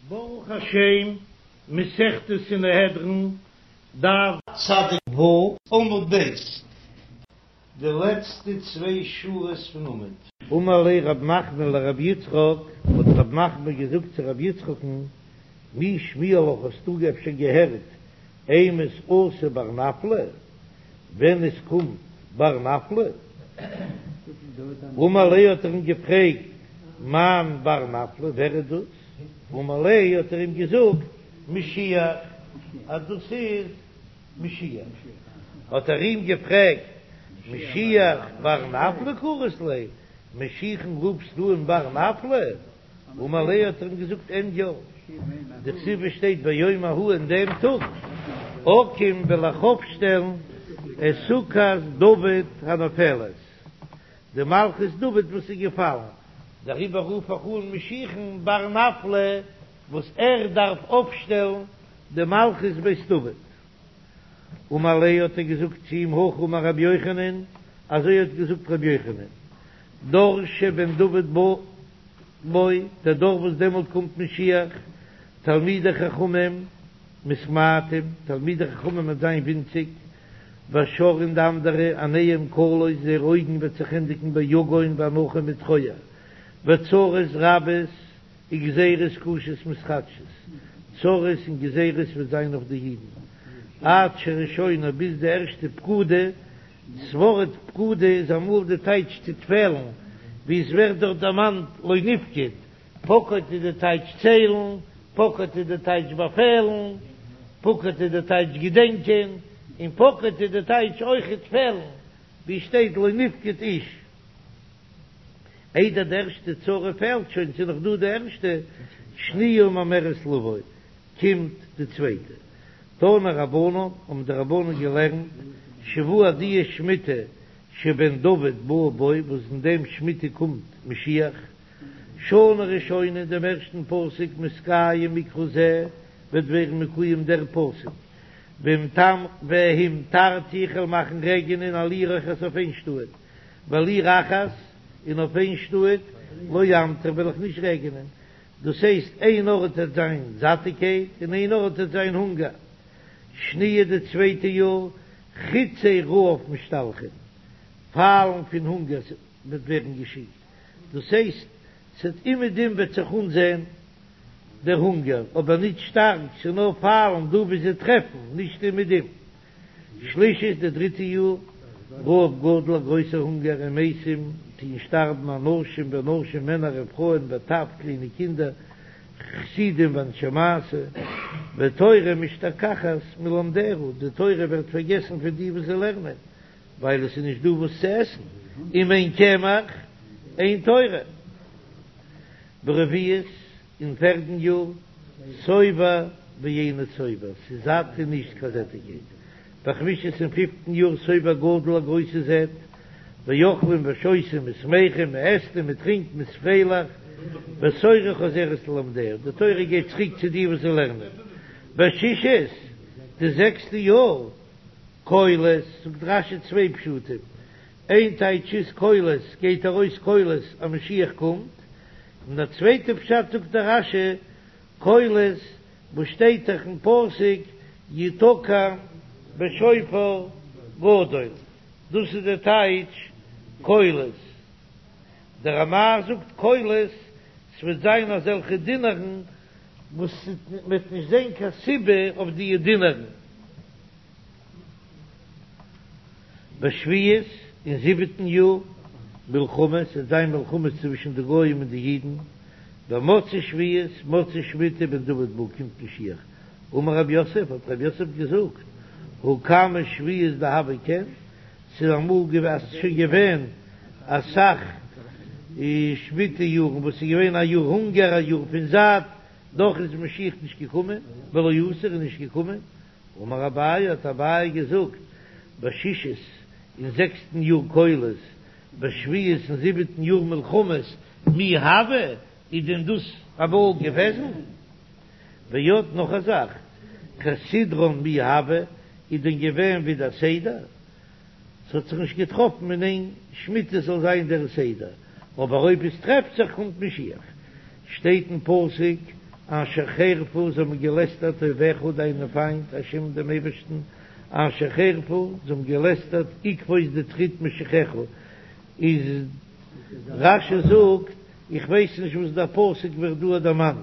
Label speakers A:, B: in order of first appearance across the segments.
A: ברוך השם, מסכת סנהדרין, דף צדיק ו', עמוד ב', די לעצטע צוויי שורות פון עמוד. אמר ליה רב נחמן לרב יצחק, האט רב נחמן געזאגט צו רב יצחק'ן, מי שמיע לך האסטו אפשר געהערט אימת אתי בר נפלי, ווען עס קומט בר נפלי? אמר ליה האט ער אים געפרעגט מאן בר נפלי ווער איז דאס? אמר ליה האט ער אים געזאגט משיח אז דאס איז משיח, האט ער אים געפרעגט משיח בר נפלי קרית ליה, משיח'ן רופסטו אן בר נפלי? אמר ליה האט ער אים געזאגט אין יא, דכתיב עס שטייט ביום ההוא אין דעם טאג, אקים וועל איך אויפשטעלן את סוכת דוד הנופלת, די מלכות דוד וואס איז געפאלן, דעריבער רוף איך אן משיח'ן בר נפלי וואס ער דארף אויפשטעלן די מלכות בית דוד. אמר ליה האט ער געזאגט צו אים הכי אמר רבי יוחנן, אזוי האט געזאגט רבי יוחנן, דור שבן דוד בא בו, דער דור וואס דעמאלט קומט משיח, תלמידי חכמים מתמעטים, תלמידי חכמים וועט זיין ווינציג, והשאר און די אנדערע, עיניהם כלות, זייער אויגן וועט זיך ענדיגן ביגון ואנחה מיט טרויער, וצרות רבות וגזירות קשות מתחדשות, צרות און גזירות וועט זיין אויף די אידן, עד שראשונה ביז די ערשטע פקודה, ס'ווארט פקודה איז אמאל די טייטש טוט פעלן, ווי עס ווערט דארט דערמאנט לא נפקד, פקד איז די טייטש ציילן, פקד איז די טייטש באפעלן, פקד איז די טייטש געדענקען, און פקוד איז די טייטש אויכעט פעלן, ווי שטייט לא נפקד איש. איידער די ערשטע צרה פעלט שוין, ס'איז נאך דא די ערשטע, שניה ממהרת לבוא, קומט די צווייטע. תנו רבנן, האבן די רבנן געלערנט, שבוע די שמיטה שבן דוד בא בו, וואס אין דעם שמיטה קומט משיח. שנה ראשונה, דעם ערשטן פסוק, מתקיים מקרא זה, וועט ווערן מקוים דער פסוק, והמטרתי איך וועל מאכן רעגענען על עיר אחת אויף איין שטאט, ועל עיר אחת, און אויף איין שטאט, לא אמטיר וועל איך נישט רעגענען. דאס הייסט, איין ארט וועט זיין זאטיגקייט און איין ארט וועט זיין הונגער. שניה די צווייטע יאר, חצי רעב משתלחין, פיילן פון הונגער וועט ווערן געשיקט. דאס הייסט, ס'וועט אומעדום וועט זיך אנזען דער הונגער, אבער נישט שטארק, ס'איז נאר פיילן דא וואו זיי טרעפן, נישט אומעדום. שלישית די דריטע יאר, רעב גדול א גרויסער הונגער ומתים טוען שטארבן אנשים ונשים מענער און פרויען וטף קליינע קינדער חסידים ואנשי מעשה ותורה משתכחת מלומדיה די תורה ווערט פארגעסן פון די וואס זיי לערנען ווייל עס איז נישט דא וואס צו עסן אם אין קמח אין תורה ברביעית אין פערדן יאר, שובע ואינו שובע, ס'איז זאט און נישט קיין זעטיגקייט. בחמישית אין פיפטן יאר, שובע גדול א גרויסע זעט, ואוכלים ושותים ושמחים, מען עסט און מען טרינקט, מען איז פרייליך, ותורה חוזרת ללומדיה, די תורה גייט צוריק צו די וואס זיי לערנען. בשישית, די זעקסטע יאר, קולות, זאגט רש"י צוויי פשטים, איין טייטש איז קולות, גייט ארויס קולות אז משיח קומט, און דער צווייטע פשט זאגט דער רש"י, קולות וואס שטייט דאך אין פסוק יתקע בשופר גדול, דאס איז דער טייטש קולות. דער רמ"ע זאגט קולות, ס'וועט זיין אזעלכע דינערן וואס מ'וועט נישט זען קיין סיבה אויף די דינערן. בשביעית, אין זיבעטן יאר, מלחמה, ס'וועט זיין מלחמות צווישן די גויים און די אידן, במוצאי שביעית, מוצאי שמיטה, בן דוד בא, קומט משיח. אמר רב יוסף, האט רב יוסף געזאגט, הא כמה שביעיות דהוה כן, ס'איז אמאל געווען, ס'איז שוין געווען אסאך שמיטה יארן וואס ס'איז געווען א יאר הונגער, א יאר פון זאט, דאך איז משיח נישט געקומען, ולא אתא, איז נישט געקומען, אמר אביי, האט אביי געזאגט, בשישית, אין זעקסטן יאר קולות, בשביעית אין זיבעטן יאר מלחמות, מי הוה, איז דען דאס אמאל געוועזן? ועוד נאך א זאך, כסדרן מי הוה, איז דען געווען ווי דער סדר? ס'האט זיך נישט געטראפן אין איין שמיטה זאל זיין דער סדר, אבער אויב עס טרעפט זיך קומט משיח. שטייט אין פסוק. אשר חרפו, זיי האבן געלעסטערט אויביך דיינע פיינט, השם דעם אייבערשטן, אשר חרפו, זיי האבן געלעסטערט עקבות די טריט משיחך, איז רש"י זאגט, איך ווייס נישט וואס דער פסוק ווערט דא דערמאנט,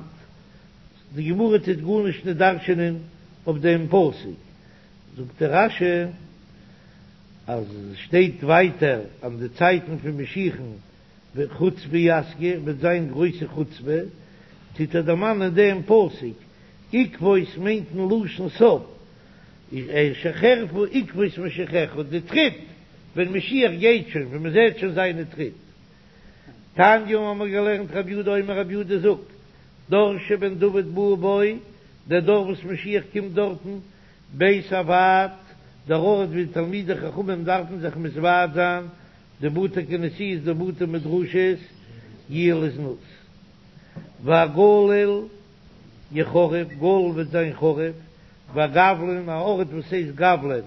A: די גמרא טוט גארנישט נישט דרש'ענען אויף דעם פסוק, זאגט דער רש"י אז שטייט ווייטער אז אין די צייטן פון משיח'ן וחוצפה יסגא וועט זיין גרויסע חוצפה, טוט ער דערמאנען דעם פסוק, עקבות מיינט אין לשון סוף, איז אשר חרפו עקבות משיחך, די טריט ווען משיח גייט שוין, ווען מען זעט שוין זיינע טריט. תניא האבן מיר געלערנט רבי יהודה אומר רבי יהודה זאגט, דור שבן דוד בא בו, דער דור וואס משיח קומט דארטן, בית הוועד, דער ארט ווי די תלמידי חכמים דארפן זיך מתוועד זיין, די בתי כנסיות די בתי מדרשות, יהיה לזנות. והגליל יחרב, גליל וועט זיין חרוב, והגבלן, א ארט וואס הייסט גבלן,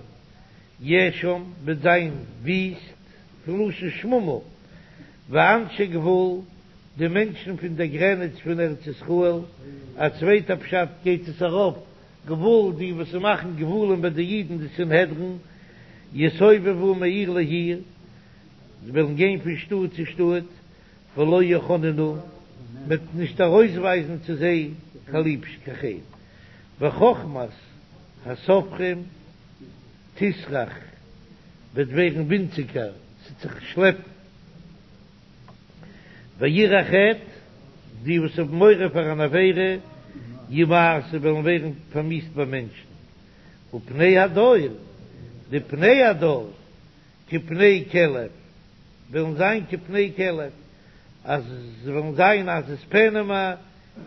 A: ישם, וועט זיין וויסט, פון לשון שממה, ואנשי גבול, די מענטשן פון דער גרעניץ פון ארץ ישראל, א צווייטע פשט גייט עס ארויף, גבול, די וואס מאכן גבולים ביי די אידן, די סנהדרין, יסובבו מעיר לעיר, זיי וועלן גיין פון שטאט צו שטאט, ולא יחננו, מען וועט נישט ארויסווייזן צו זיי קיין ליבשאפט, קיין חן. וחכמת הסופרים תסרח, וועט ווערן ווינציגער, ס'וועט זיך שלעפן. ויראי חטא, די וואס האבן מורא פאר אן עבירה, ימאסו, וועלן ווערן פארמיאוסט ביי מענטשן. ופני הדור, די פני הדור, כפני כלב, וועלן זיין כפני כלב, אז זיי וועלן זיין עזות פנימער,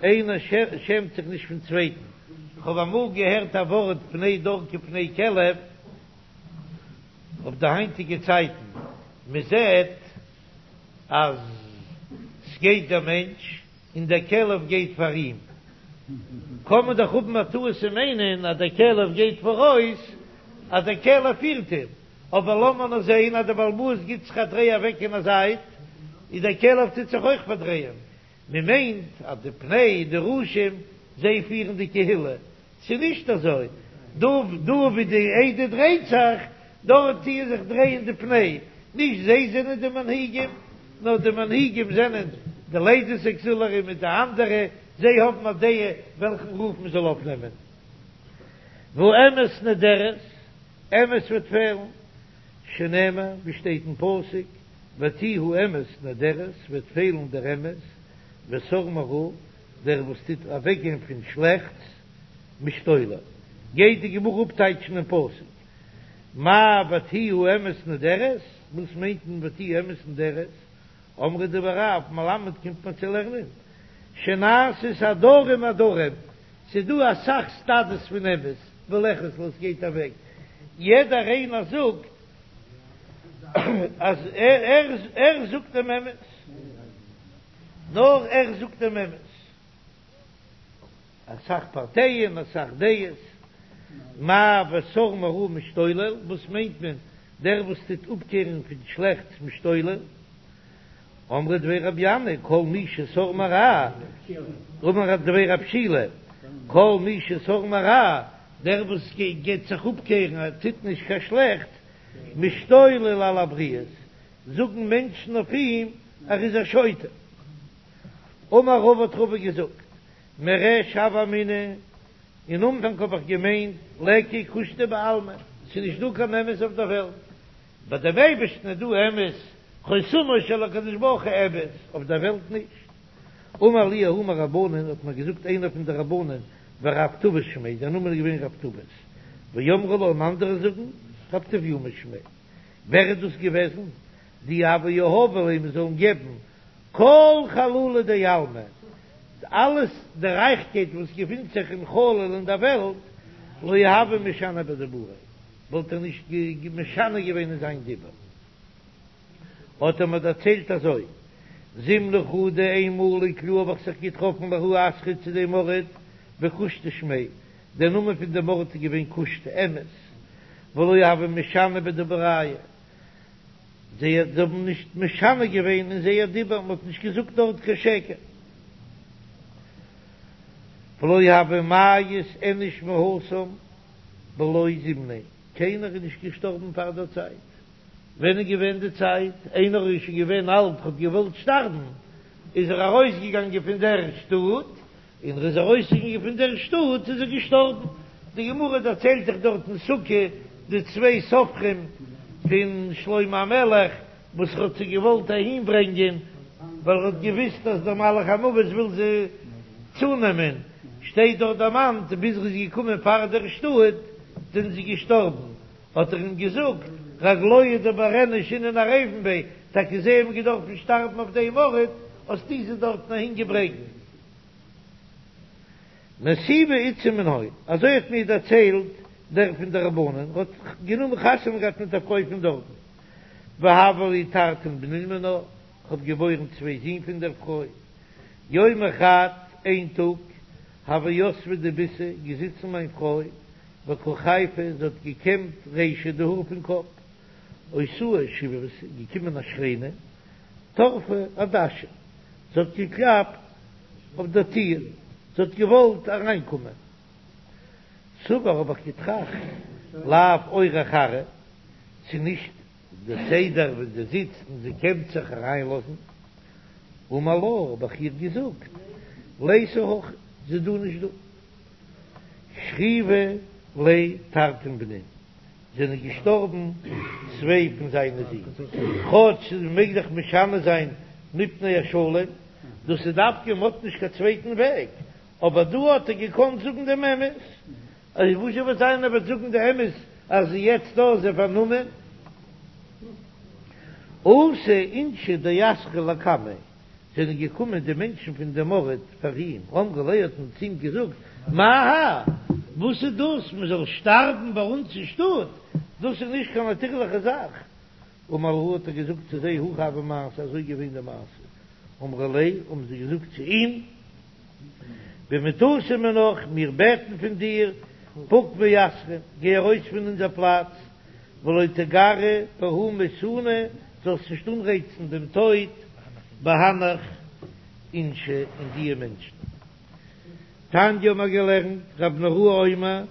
A: איינער שעמט זיך נישט פון צווייטן. כ'האב אמאל געהערט א ווארט פני דור כפני כלב, אויף די היינטיגע צייטן, מען זעט אז ס'גייט דער מענטש און דער כלב גייט פאר אים, קען מען דאך האבן א טעות און מיינען אז דער כלב גייט פאראויס, אז דער כלב פירט אים, אבער לאמיר נאר זען אז דער בעל הבית גיט זיך א דריי אוועק אין א זייט, און דער כלב טוט זיך אויך פארדרייען, מען מיינט אז די פני די ראשים זיי פירן די קהילה, ס'איז נישט אזוי, דא דא ווי די עדה דרייט זיך, דארט טוען זיך דרייען די פני, נישט זיי זענען די מנהיגים, נאר די מנהיגים זענען די לעידיס אקזילערי מיט די אנדערע, זיי האבן א דעה וועלכן רב מען זאל אויפנעמען. והאמת נעדרת, אמת וועט פעלן, שנאמר, ווי שטייט אין פסוק, ותהי האמת נעדרת, וועט פעלן דער אמת, וסר מרע, דער וואס טוט אוועקגיין פון שלעכטס, משתולל. גייט די גמרא אפטייטשן דעם פסוק, מאי ותהי האמת נעדרת, וואס מיינט מען ותהי האמת נעדרת? אמרי דבי רב מלמד קומט מען צו לערנען שנעשית עדרים עדרים, ס'איז דא אסאך סטאדעס פון אמת, והולכת לה, עס גייט אוועק, יעדער איינער זאגט אז ער ער זאגט דעם אמת. נאר ער זאגט דעם אמת. אסאך פארטייען, אסאך דעות. מאי וסר מרע משתולל, וואס מיינט מען דער וואס טוט אפקערן פון שלעכטס משתולל? אמרי דבי רבי ינאי, כל מי שסר מרע, אמרי דבי רב שילא, כל מי שסר מרע, דער וואס גייט זיך אפקערן, ער טוט נישט קיין שלעכטס, משתולל על הבריות, זאגן מענטשן אויף אים ער איז א שוטה. אמר רבא האט רבא געזאגט, מריש הוה אמינא, אין אנפאנג האב איך געמיינט ליכא קושטא בעלמא, ס'איז נישט דא קיין אמת אויף דער וועלט, ביי דעם אייבערשטן איז דא אמת, חותמו של הקדוש ברוך הוא אמת, אויף דער וועלט נישט. אמר לי ההוא מרבנן, האט מיר געזאגט איינער פון די רבנן, ורב טוביה שמיה, זיין נאמען איז געווען רב טוביה, ואמרי לה און אנדערע זאגן רב טביומי שמיה. ווער איז דאס געוועזן? דאי הוו יהבי ליה מען זאל אים געבן כל חללא דעלמא, אלעס די רייכקייט וואס געפינט זיך אין חלל אין דער וועלט, לא הוה משני בדיבוריה, וואלט ער נישט משנה געווען אין זיין דיבור. האט ער מיר דערציילט אזוי, זימנא חדא איינמאל איקלעי האב איך זיך געטראפן לההוא אתרא צו דעם ארט וקושטא שמיה, דער נאמען פון דעם ארט איז געווען קושטא, אמת, ולא הוו משני בדיבורייהו, זיי האבן נישט משנה געווען אין זייער דיבור, מען האט נישט געזאגט דארט קיין שקר. ולא הוה מיית איניש מהתם בלא זימניה, קיינער איז נישט געשטארבן פאר דער צייט. ווען איז געווען די צייט? איינער איז שוין געווען אלט האט געוואלט שטארבן, איז ער ארויסגעגאנגען פון דער שטאט, און ער איז ארויסגעגאנגען פון דער שטאט איז ער געשטארבן. די גמרא דערציילט דאך דארט אין סוכה די צוויי סופרים פון שלמה המלך וואס ער האט זיי געוואלט אהין ברענגען ווייל ער האט געוויסט אז דער מלאך המוות וויל זיי צונעמען, שטייט דארט דערמאנט ביז ער איז געקומען פאר דער שטאט זענען זיי געשטארבן, האט ער אים געזאגט, רגלוהי דבר איניש אינון עריבין ביה, טאקע זיי האבן געדארפן שטארבן אויף דעם ארט, האסטו זיי דארטן אהין געברענגט. נסיבא איתתא מינהון, אזוי האט מיר דערציילט דער פון די רבנן, האט גענומען חתונה געהאט מיט א פרוי פון דארטן, והוו לי תרתין בנין מינה, כ'האב געבוירן צוויי זין פון דער פרוי, יומא חד, איין טאג, הוה יתבה דביתהי, געזיצן מיין פרוי, וקא חייפא, זי האט געקעמט רישא די האר פון קאפ, אתאי שיבבתא, געקומען א שכנה, טרפא אדשא, זי האט געקלאפט אויף דער טיר, זי האט געוואלט אריינקומען. סבור האב איך געטראכט, לאו אורח ארעא, ס'איז נישט די סדר ווען זי זיצט און זי קעמט זיך אריינלאזן. אמר לה, האב איך איר געזאגט, ליתא הכא, זי איז דא נישט דא. שכיבו ליה תרתין בנין, זענען געשטארבן צוויי פון זיינע זין, כאטש מ'מעג דאך משנה זיין מפני השלום, דאס איז דווקא מ'האט נישט קיין צווייטן וועג, אבער דא האט ער געקאנט זאגן דעם אמת, און וואס וועט זיין ער וועט זאגן די אמת אז יעצט דא איז ער פארנומען. אתו אינשי דאתרא לקמיה, זענען געקומען די מענטשן פון דעם ארט פאר אים, אמרו ליה האט מען צו אים געזאגט, מאי האי, וואס איז דאס, מען זאל שטארבן ביי אונז אין שטאט, דאס איז נישט קיין נאטירליכע זאך. אמר להו האט ער געזאגט צו זיי, הכי הוה מעשה, אזוי געווען די מעשה. אמרו ליה, האבן זיי געזאגט צו אים, במטותא מינך, מיר בעטן פון דיר, פוק מאתרין, גיי ארויס פון אונזער פלאץ, ולא תגרי בהו מיתנא, זאלסט נישט אנרייצן דעם טויט בהנך אינשי אין דיע מענטשן. תניא האבן מיר געלערנט, רב נהוראי אומר,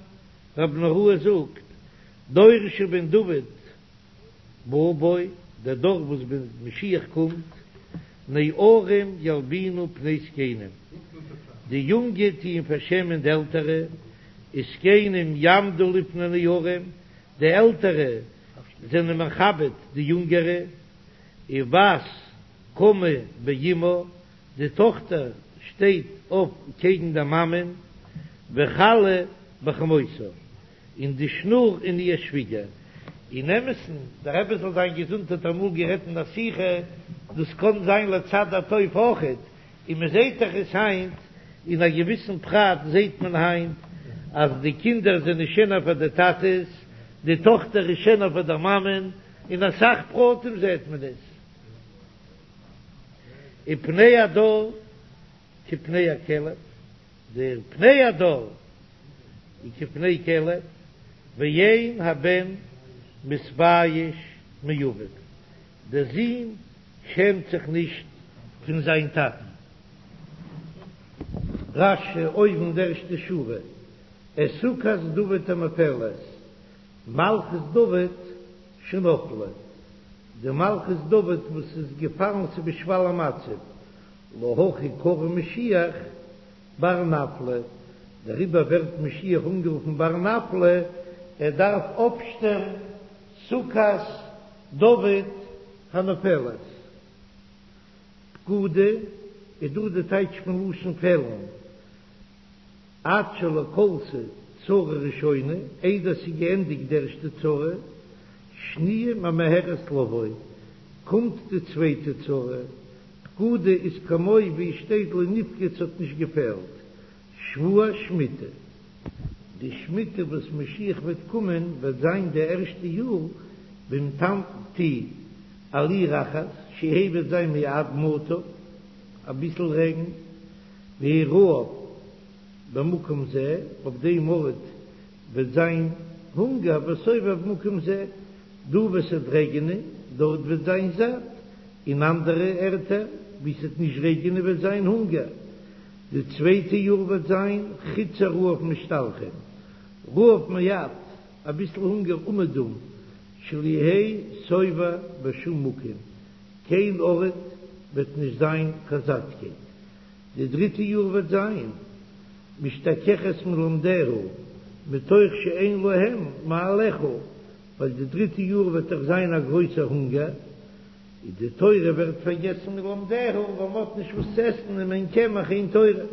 A: רב נהוראי זאגט, דור שבן דוד בא בו, דער דור וואס ווען משיח קומט, נערים ילבינו פני זקנים, די יונגע טוען פארשעמען די עלטערע, וזקנים יעמדו לפני נערים, די עלטערע זענען מכבד די יונגערע, ובת קמה באמה, די טאכטער שטייט אויף קעגן דער מאמען, וכלה בחמותה, און די שנור אין איר שוויגער. אין אמת'ן, דער רבי זאל זיין געזונט האט אמאל גערעדט אין א שיחה, דאס קען זיין לצד הטוב אויכעט, און מען זעט דאך עס היינט, אין א געוויסן פרט זעט מען היינט אז די קינדער זענען שענער פאר די טאטעס, די טאכטער איז שענער פאר דער מאמען, אין אסאך פרטים זעט מען עס. ופני הדור כפני הכלב, דער פני הדור איז כפני כלב, ואין הבן מתבייש מאביו, דער זון שעמט זיך נישט פון זיין טאטן. רש"י אויבן די ערשטע שורה, את סוכת דוד המפלת, מלכות דוד שנפלה, די מלכות דוד וואס איז געפאלן ס'איז בשפל המצב, להכי קרי משיח בר נפלה, דעריבער ווערט משיח אנגערופן בר נפלה, ער דארף אויפשטעלן סוכת דוד הנופלת. פקודה איז דא די טייטש פון לשון פעלן, עד שלא כלתה צרה ראשונה, איידער ס'איז געענדיגט די ערשטע צרה, שניה ממהרת לבוא, קומט די צווייטע צרה, פקודה איז כמו ווי עס שטייט לא נפקד ס'האט נישט געפעלט, שבוע שמיטה. די שמיטה וואס משיח וועט קומען וועט זיין די ערשטע יאר והמתנתי על עיר אחת שיהא וועט זיין מעט מטר אביסל רעגן ויהא רעב במקום זה אויף דעם ארט וועט זיין הונגער ושובע במקום זה דא וואו ס'וועט רעגענען דארט וועט זיין זאט אין אנדערע ערטער וואו ס'וועט נישט רעגענען וועט זיין הונגער. די צווייטע יאר וועט זיין חצי רעב משתלחין, רעב מעט, אביסל הונגער אומעדום, שלא יהא שובע בשום מקום, קיין ארט וועט נישט זיין קיין זאטקייט. די דריטע יאר וועט זיין משתכחת מלומדיה מתוך שאין להם מה לאכול, ווייל די דריטע יאר וועט דאך זיין א גרויסער הונגער, איז די תורה ווערט פארגעסן מלומדיה ווייל מ'האט נישט וואס צו עסן אם אין קמח אין תורה.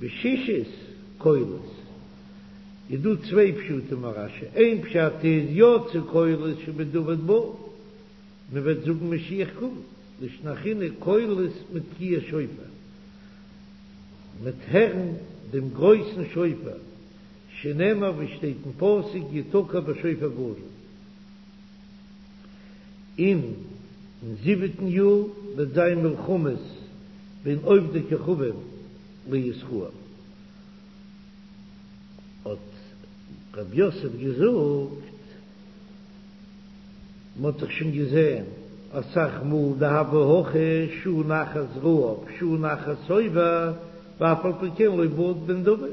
A: בשישית קולות איז דא צוויי פשטים אין רש"י, איין פשט איז יצאו קולות שבן דוד בא, מען וועט זאגן משיח קומט, לישנא אחרינא קולות מיט תקיעת שופר, מ'וועט הערן דעם גרויסן שופר, שנאמר ווי שטייט אין פסוק יתקע בשופר גדול. און אין זיבעטן יאר וועט זיין מלחמות בין עובדי כוכבים לישראל. האט רב יוסף געזאגט, מען האט דאך שוין געזען אסאך מאל דהוה הכי שנה אחת רעב שנה אחת שובע ואף על פי כן לא בא בן דוד,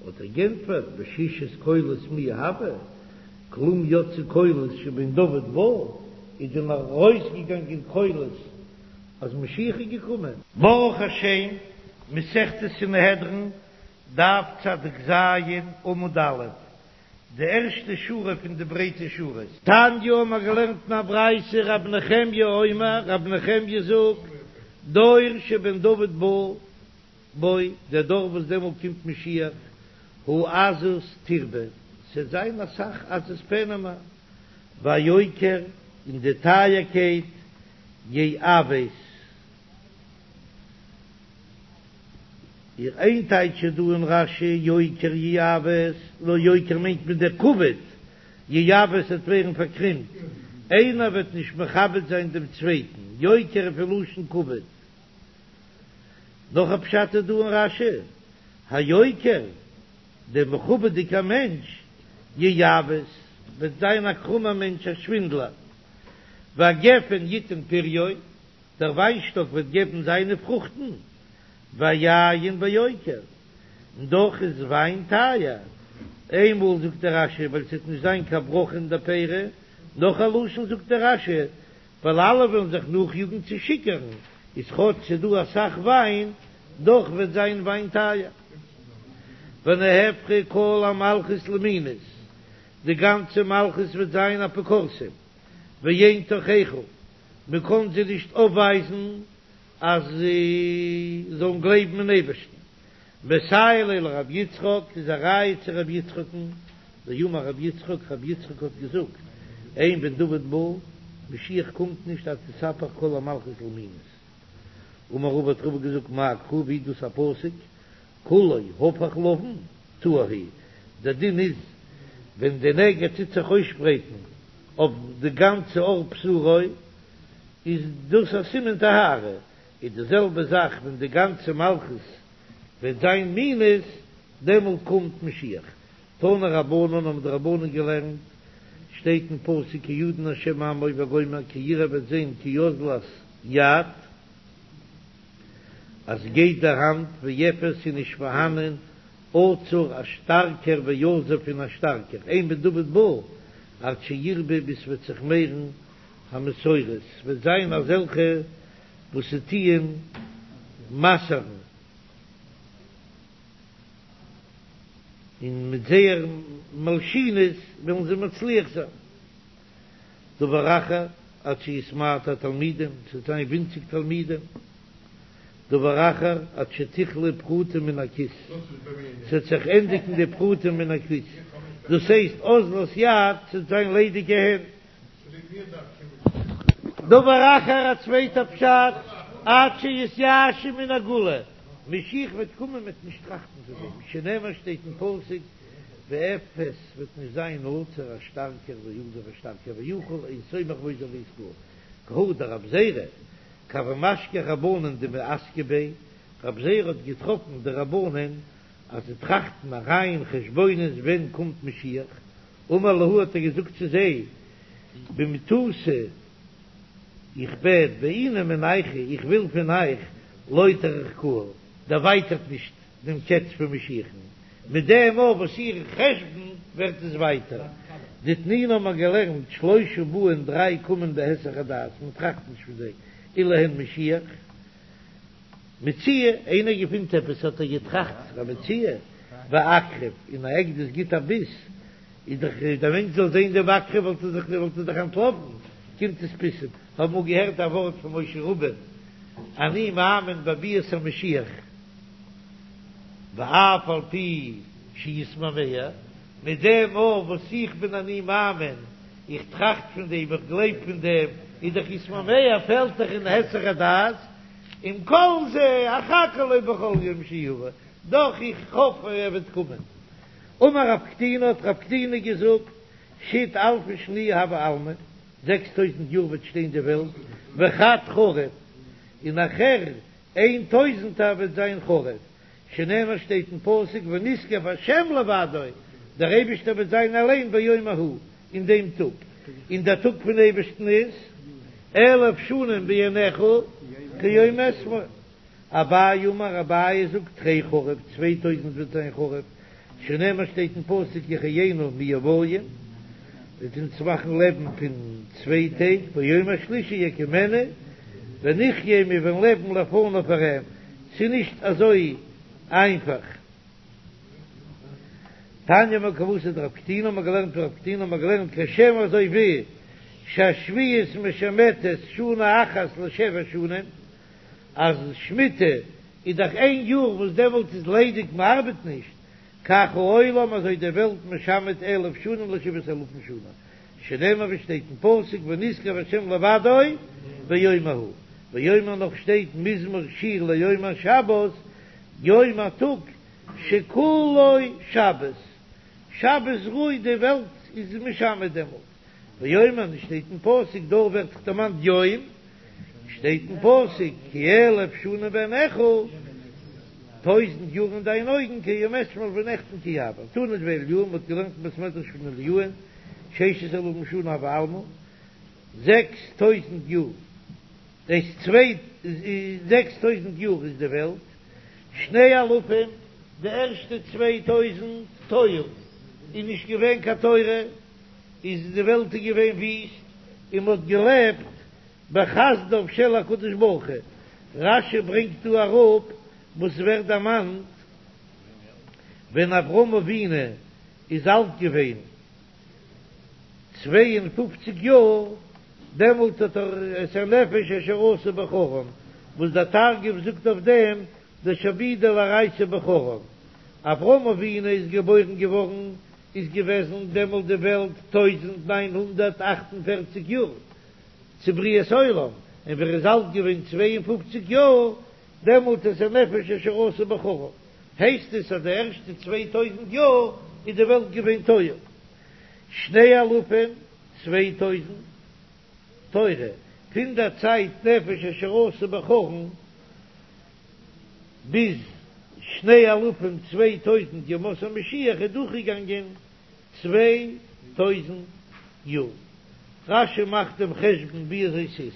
A: האט ער גענטפערט בשישית קולות מי הוה, כלום יצאו קולות שבן דוד בא, איז דען ארויסגעגאנגען קולות אז משיח איז געקומען? ברוך השם, מסכת סנהדרין, דף צדיק ז, עמוד א', די ערשטע שורה פון די ברייטע שורות. תניא האבן מיר געלערנט אין א ברייתא רב נחמיה אומר, רב נחמיה זאגט, דור שבן דוד בא בו, דער דור וואס דעמאלט קומט משיח, העזות תרבה, ס'עט זיין אסאך עזות פנימער, והיוקר, און די טייערקייט, יעוות. איר איין טייטש איז דא אין רש"י יוקר יעוות, נאר יוקר מיינט מען דער כבוד, יעוות וועט ווערן פארקרימט, איינער וועט נישט מכבד זיין דעם צווייטן, יוקר איז פון לשון כבוד. נאך א פשט איז דא אין רש"י, היוקר, דער מכובד'יגער מענטש, יעוות, וועט זיין א קרומער מענטש א שווינדלער, והגפן יתן פריו, דער וויינשטאק וועט געבן זיינע פרוכטן, והיין ביוקר, און דאך איז וויין טייער, איינמאל זאגט דער רש"י ווייל ס'וועט נישט זיין קיין ברכה אין די פירי, נאך א לשון זאגט דער רש"י ווייל אלע וועלן זיך נאכיאגן צו שיכור'ן, איז כאטש ס'איז דא אסאך וויין, דאך וועט זיין וויין טייער. ונהפכה כל המלכות למינות, די גאנצע מלכות וועט זיין אפיקורסים, ואין תוכחה, מען קען זיי נישט אויפווייזן אז זיי זאלן גלייבן אין אייבערשטן. מסייע ליה לרבי יצחק איז א ראיה צו רבי יצחק'ן, דאמר רבי יצחק, רבי יצחק האט געזאגט, אין בן דוד בא, משיח קומט נישט עד שתתהפך כל המלכות למינות. אמר רבא האט רבא געזאגט מאי קרא ווי איז דאס א פסוק כולו הפך לבן טהור הוא, דער דין איז ווען די נגע טוט זיך אויסשפרייטן אויף די גאנצע עור בשרו איז דאס א סימן טהרה, איז די זעלבע זאך ווען די גאנצע מלכות וועט זיין מינות דעמאלט קומט משיח. תנו רבנן האבן די רבנן געלערנט, שטייט אין פסוק כי ידין השם עמו וגומר כי יראה וועט זען כי אזלת יד, אז גייט די האנט ואפס איז נישט פארהאנען עצור א שטארקער ועזב און א שטארקער אין בן דוד בא עד שירבה ביז ס'וועט זיך מערן המסורות ס'וועט זיין אזעלכע וואס ס'טוען מסר'ן און מיט זייער מלשינות וועלן זיי מצליח זיין. דבר אחר עד שיתמעטו התלמידים, ס'וועט זיין ווינציג תלמידים. דבר אחר עד שתכלה פרוטה מן הכיס, ס'וועט זיך ענדיגן די פרוטה מן הכיס, דאס הייסט אזלת יד, ס'וועט זיין ליידיגע הענט. דבר אחר א צווייטע פשט, עד שיתייאשו מן הגאולה, משיח וועט קומען מ'וועט נישט טראכטן פון דעם, שנאמר שטייט אין פסוק, ואפס וועט נישט זיין עצור א שטארקער ועזב א שטארקער ויחל אין סומך ועוזר לישראל, כי הא דרב זירא כי הוה משכח רבנן דמעסקי ביה, רב זירא האט געטראפן די רבנן אז זיי טראכטן אריין חשבונות ווען קומט משיח, אמר להו האט ער געזאגט צו זיי, במטותא איך בעט בעינא מינייכו איך וויל פון אייך לא תרחקוה. דערווייטערט נישט דעם קץ פון משיח'ן, מיט דעם אויך וואס איר חשבון ווערט עס ווייטער. דתנינא האבן מיר געלערנט שלושה באין דריי קומען בהיסח הדעת, מען טראכט נישט פון זיי, אלו הן משיח, מציאה, איינער געפינט עפעס האט ער געטראכט פון א מציאה, ועקרב, און א עקדיש גיט א ביס, איז דאך דער מענטש זאל זען דעם עקרב וואלט ער זיך וואלט ער דאך אנטלאפן, קומט עס פיסן, כ'האב אמאל געהערט א ווארט פון משה רובין, אני מאמין בביאת המשיח ואף על פי שיתמהמה, מיט דעם אויך וואס איך בין אני מאמין, איך טראכט פון דעם, איך גלייב פון דעם, איז דאך יתמהמה פעלט דאך אין היסח הדעת, עם כל זה אחכה לו בכל יום שיבוא, דאך איך האף ער וועט קומען. אמר רב קטינא האט רב קטינא געזאגט, שית אלפי שני הוי עלמא, 6000 יאר וועט שטיין די וועלט, וחד חרוב, און נאכער איין טויזענטער וועט זיין חרוב, שנאמר שטייט אין פסוק ונשגב השם לבדו, דער אייבישטער וועט זיין אליין ביום ההוא, אין דעם טאג, און דער טאג פון אייבישטן איז אלף שנים בעיניך כיום אתמול. אביי אמר, אביי זאגט תרי חרוב, 2000 וועט זיין חרוב, שנאמר שטייט אין פסוק יחיינו מיומיים, וועט אונז מאכן לעבן פון צוויי טעג, ביום השלישי יקימנו, ונחיה מיר וועלן לעבן לפניו פאר אים, ס'איז נישט אזוי איינפאך. תניא כוותיה דרב קטינא האט מען געלערנט פון רב קטינא האט מען געלערנט כשם אזוי ווי שהשביעית משמטת שנה אחת לשבע שנים, אז שמיטה איז דאך איין יאר וואס דעמאלט איז ליידיג מען ארבעט נישט, כך העולם אזוי די וועלט משמט אלף שנים לשבעת אלפים שנה, שנאמר ווי שטייט אין פסוק ונשגב השם לבדו ביום ההוא, ואומר נאך שטייט מזמור שיר ליום השבת, יום א טאג שכולו שבת, שבת רואיג די וועלט איז משמט דעמאלט. ואומר שטייט אין פסוק דא ווערט דאך דערמאנט יום, שטייט אין פסוק כי אלף שנים בעיניך, טויזנט יאר אין דיין אויגן כיום אתמול ווי נעכטן כי יעבור, תנא דבי אליהו, מען האט געלערנט אין בית מדרש פון אליהו'ן, ששת אלפים שנה הוי עלמא, 6000 יאר, דאס צוויי 6000 יאר איז די וועלט, שני אלפים, די ערשטע 2000 תוהו איז נישט געווען קיין תורה. איז די וועלט איז געווען וויסט און מען האט געלעבט בחסדיו של הקדוש ברוך הוא, רש"י ברענגט דא אראפ וואס ווערט דערמאנט ווען אברהם אבינו איז אלט געווען 52 יאר, דעמאלט האט ער את הנפש אשר עשו בחרן, וואס דער תרגום זאגט אויף דעם דשעבידא לאורייתא בחרן, אברהם אבינו איז געבוירן געווארן איז געוועזן דעמאלט די וועלט 1948 יאר צו בריאת עולם, און ווען ער איז אלט געווען 52 יאר, דעמאלט את הנפש אשר עשו בחרן, הייסט עס אז די ערשטע 2000 יאר איז די וועלט געווען תוהו. שני אלפים, 2000, תורה, פון דער צייט נפש אשר עשו בחרן, ביז שני אלפים 2000 ימות המשיח איז דורכגעגאנגען 2000 יאר. רש"י מאכט דעם חשבון ווי אזוי ס'איז.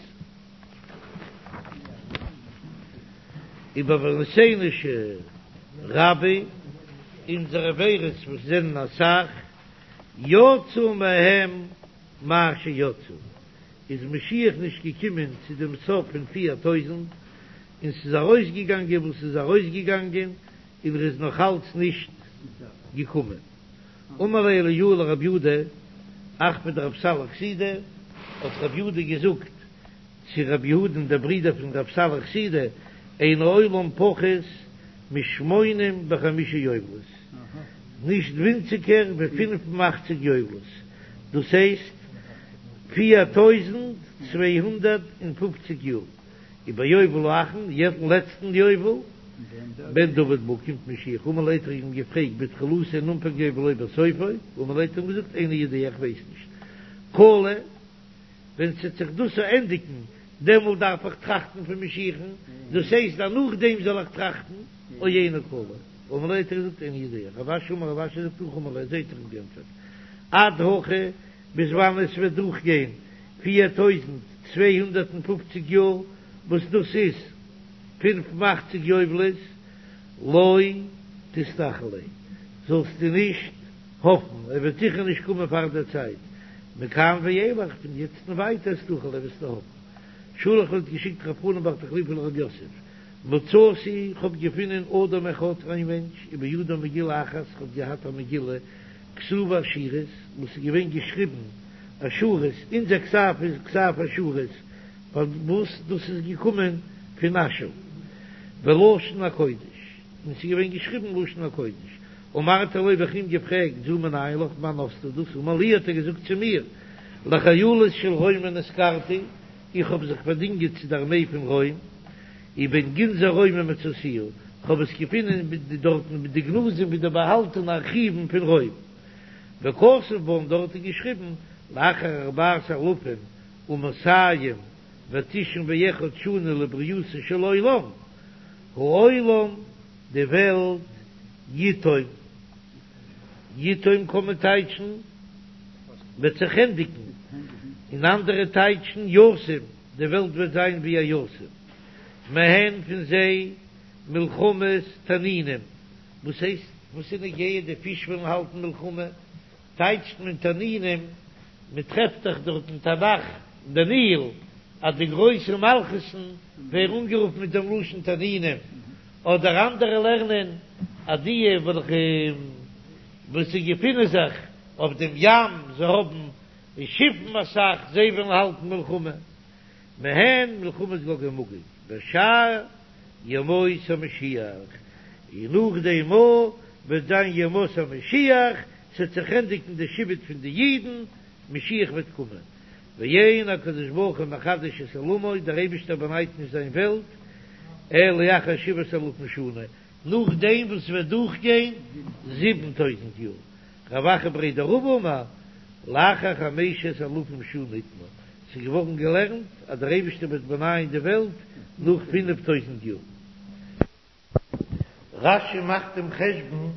A: ובעוונותינו שרבו, אונזערע עבירות וואס זענען אסאך, יצא מהם מה שיצא, איז משיח נישט געקומען צו דעם סוף פון 4000, און ס'איז ארויסגעגאנגען וואס ס'איז ארויסגעגאנגען, און ער איז נאך אלץ נישט געקומען. אמר ליה אליהו לרב יודא, אחוה דרב סלא חסידא, האט רב יודא געזאגט צו רב יהודה'ן דער ברודער פון רב סלא חסידא, אין העולם פחות משמונים וחמישה יובלות, נישט ווינציגער ווי פינף און אכציג יובלות, דאס הייסט 4250 יאר. וביובל האחרון, יעדן לעצטן יובל, בן דוד בא קומט משיח, אמר ליה האט ער אים געפרעגט בתחילתו אין אנפאנג יובל או בסופו, אמר ליה האט ער אים געזאגט איני יודע איך ווייס נישט, כלה, ווען ס'עט זיך דאס ענדיגן דעמאלט דארף איך טראכטן פון משיח'ן, דאס הייסט אז נאכדעם זאל איך טראכטן, או אינו כלה, אמר ליה האט ער געזאגט איני יודע, רב אשי אמר רב אשי זאגט הכי אמר ליה אזוי האט ער אים געענטפערט, עד הכא ביז וואנען עס וועט דורכגיין 4250 יאר, וואס דאס איז 85 יובלות. לא תסתכל ליה, זאלסטו נישט האפן, ער וועט זיכער נישט קומען פאר דער צייט, מכאן ואילך, פון יעצט און ווייטער אסתכל ליה וועסטו האפן. שלח האט געשיקט רב חנן בר תחליפא לרב יוסף, מצאתי, כ'האב געפונען אדם אחד איין מענטש, ובידו מגילה אחת, כ'האב געהאט א מגילה כתובה אשורית, וואס איז געווען געשריבן אשורית, אונזער כתב איז כתב אשורית, פארוואס דאס איז געקומען פון אשור, בלשון הקודש, און ס'איז געווען געשריבן לשון הקודש, אמרתי לו האב איך אים געפרעגט זו מנין לך פון וואנען האסטו דאס, אמר לי האט ער געזאגט צו מיר, לחיילות של רומי נשכרתי, איך האב זיך פארדינגען צו די ארמעי פון רוים, ובין גנזי רומי מצאתיה, כ'האב עס געפונען דארטן ביי די גנזים ביי די באהאלטענע ארכיוון פון רוים. וכתוב בה און דארט איז געשריבן, לאחר ארבעת אלפים ומאתים ותשעים ואחד שנה לברייתו של עולם, העולם, די וועלט, יתום, יתום קען מען טייטשן וועט זיך ענדיגן, און אנדערע טייטשן יתום, די וועלט וועט זיין ווי א יתום, מהן פון זיי מלחמות תנינים, וואס הייסט וואס איז נוגע די פיש וועלן האלטן מלחמה, טייטשט מען תנינים, מען טרעפט דאך דארט אין תנך דניאל אז די גרויסע מלכות'ן ווערן אנגערופן מיט דעם לשון תנינים, אדער אנדערע לערנען אז די וועלכע וואס זיי געפינען זיך אויף דעם ים, זיי האבן שיפן אסאך, זיי וועלן האלטן מלחמה. מהן מלחמות גוג ומגוג בשאר ימות המשיח, און נאך דעם מאל וועט זיין ימות המשיח, ס'וועט זיך ענדיגן די שעבוד פון די אידן, משיח וועט קומען, ואין הקדוש ברוך הוא מחדש את עולמו, דער אייבישטער באנייט נישט זיין וועלט, אלא לאחר שבעת אלפים שנה, נאכדעם וואס ס'וועט דורכגיין 7000 יאר, רב אחא בריה דרבא אמר, לאחר חמשת אלפים שנה איתמר, ס'איז געווארן געלערנט אז דער אייבישטער וועט באנייען די וועלט נאך 5000 יאר. רש"י מאכט דעם חשבון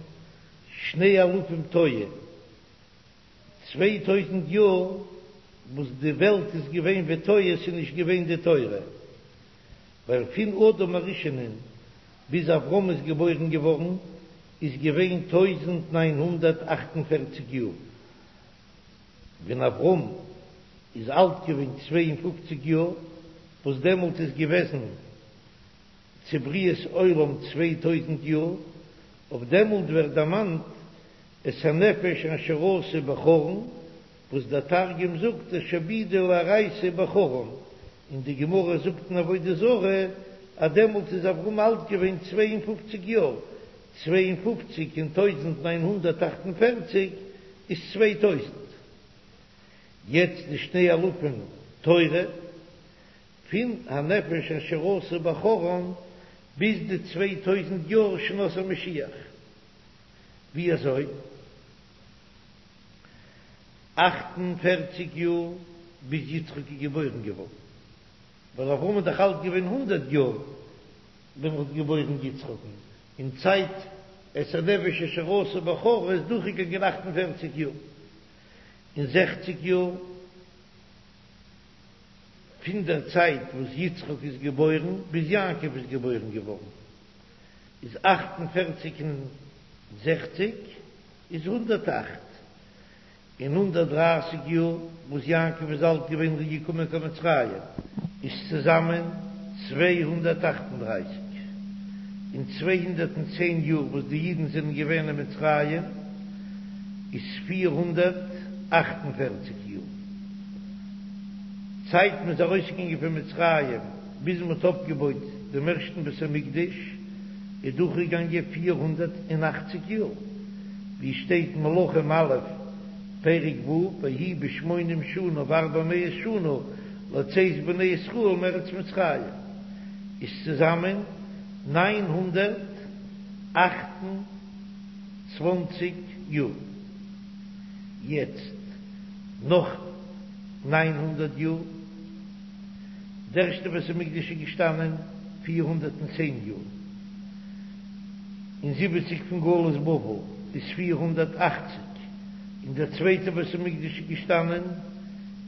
A: שני אלפים תועים, 2000 יאר וואס די וועלט איז געווען ווי תוהו, ס'איז נישט געווען די תורה, ווייל פון אדם הראשונ'ען ביז אברהם איז געבוירן געווארן איז געווען 1948 יאר, ווען אברהם איז אלט געווען 52 יאר, וואס דעמאלט איז געוועזן צו בריאת עולם 2000 יאר, אויף דעמאלט ווערט דערמאנט את הנפש אשר עשו בחרן, וואס דער תרגום זאגט אשעבידא לאורייתא בחרן, און די גמרא זאגט אין עבודה זרה אז דעמאלט איז אברהם אלט געווען 52 יאר, 52 און 1948 איז 2000. יעצט די שני אלפים תורה, פון הנפש אשר עשו בחרן ביז די 2000 יאר שנות המשיח. ווי אזוי? 48 יאר ביז יצחק איז געבוירן געווארן, ווייל אברהם איז דאך אלט געווען הונדערט יאר ווען ער האט געבוירן יצחק'ן, און צייט את הנפש אשר עשו בחרן איז דורכגעגאנגען 48 יאר, און זעכציג יאר פון דער צייט וואס יצחק איז געבוירן ביז יעקב איז געבוירן געווארן. איז 48 און 60 איז 108, און 130 יאר וואס יעקב איז אלט געווען און געקומען קיין מצרים איז צוזאמען 238, און 210 יאר וואס די אידן זענען געווען אין מצרים איז 448 יאר. צייט מ'איז ארויסגעגאנגען פון מצרים ביז מ'האט אויפגעבויט דעם ערשטן בית המקדש איז דורכגעגאנגען 480 יאר, ווי שטייט מלכים א' פרק ו' ויהי בשמונים שנה וארבע מאות שנה לצאת בני ישראל מארץ מצרים, איז צוזאמען 928 יאר. יעצט נאך 900 יאר. דער ערשטער בית המקדש איז געשטאנען 410 יאר, און זיבעציק פון גלות בבל איז 480, און דער צווייטער בית המקדש איז געשטאנען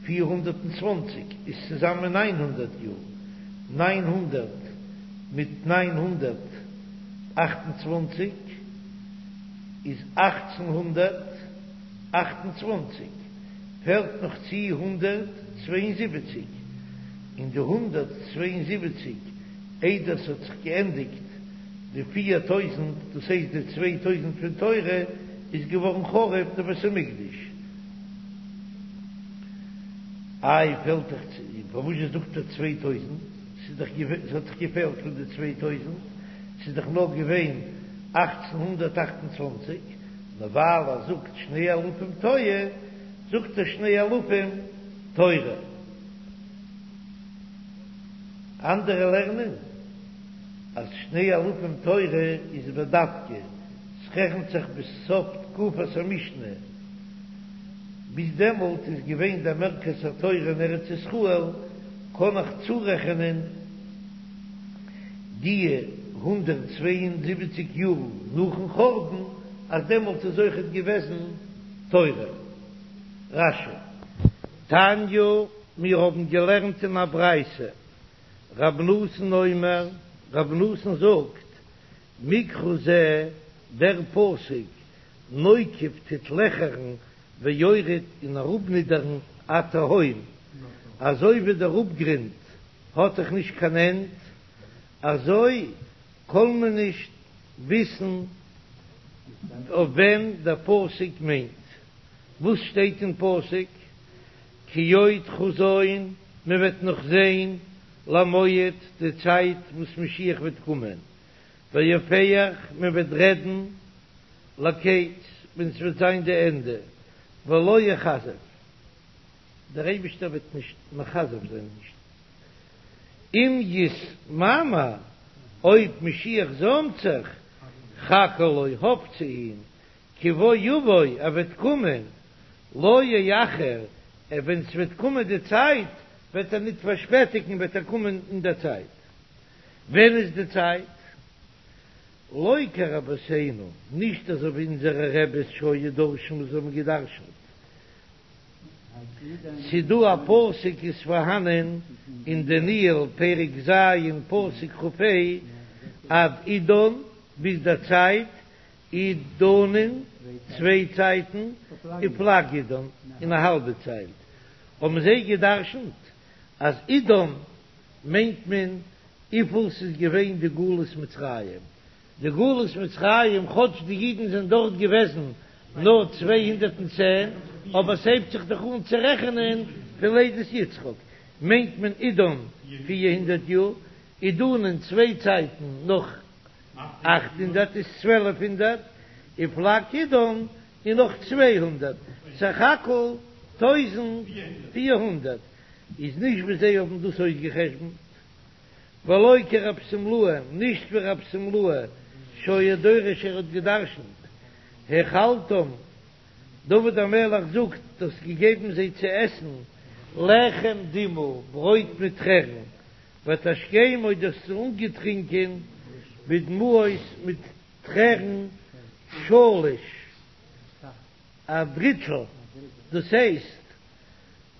A: 420, איז צוזאמען 900 יאר, 900 מיט 928. 28 איז 1828, פעלט נאך צו 172, און די 172 איידער ס'האט זיך געענדיגט די 4000, דאס הייסט די 2000 פון תורה, איז געווארן חרוב די בית המקדש. איי פעלט דאך צו, פארוואס זאגט ער 2000? ס'איז דאך געווען, ס'האט דאך געפעלט פון די 2000, ס'איז דאך נאר געווען 1828, נאר ווייל ער זאגט שני אלפים תועה, זאגט ער שני אלפים תורה. אנדערע לערנען אז שני אלפים תורה איז בדווקא, ס'רעכנט זיך ביז סוף תקופת המשנה, ביז דעמאלט איז געווען דער מרכז התורה אין ארץ ישראל, קען איך צורעכענען די 172 יאר נאכן חורבן אז דעמאלט איז אויכעט געוועזן תורה. רש"י. תניא, מיר האבן געלערנט אין א ברייתא, רבי נתן אומר, רבי נתן זאגט, מקרא זה, דער פסוק, נוקב טוט לעכערן ויורד און אראפנידערן עד תהום, אזוי ווי דער אפגרונט האט דאך נישט קיין ענד, אזוי קען מען נישט וויסן אויף ווען דער פסוק מיינט. וואס שטייט אין פסוק? כי עוד חזון, מען וועט נאך זען למועד די צייט וואס משיח וועט קומען, ויפח מען וועט רעדן לקץ ווען ס'וועט זיין די ענדע, ולא יכזב, דער אייבישטער וועט נישט מכזב זיין נישט אם יתמהמה, אויב משיח זוימט זיך, חכה לו, האף צו אים, כי בוא יבוא, ער וועט קומען, לא יאחר, ער ווען ס'וועט קומען די צייט, וועט ער ניט פארשפעטיגן, וועט ער קומען אין דער צייט. ווען איז די צייט? לא כרבותינו, נישט אזוי ווי אונזערע רעבעס שהיו דורשין וואס האבן געדרשנט. ס'דא א פסוק איז פארהאנען אין דניאל פרק ז' פסוק כ"ה, עד עידן, ביז דער צייט, עידנין, צוויי צייטן, ופלג עידן, און א האלבע צייט, האבן זיי געדרשנט אז עידן מיינט מען וויפיל ס'איז געווען די גלות מצרים, די גלות מצרים כאטש די אידן זענען דארט געוועזן נאר 210, אבער ס'הייבט זיך דאך אן צו רעכענען פון לידת יצחק, מיינט מען עידן 400 יאר, עידנין צוויי צייטן נאך 800 איז 1200, ופלג עידן און נאך 200, סך הכל 1400, איז נישט ווי זיי האבן דאס אויסגע'חשבונ'ט, ולא כרב שמלאי, נישט ווי רב שמלאי שהיה דורש ער האט גע'דרש'נט, האכלתם, דוד המלך זאגט, דו האסט געגעבן זיי צו עסן לחם דמעה, ברויט מיט טרערן, ותשקם דו האסט זיי אנגעטרינקען בדמעות מיט טרערן שליש, א דריטל, דאס הייסט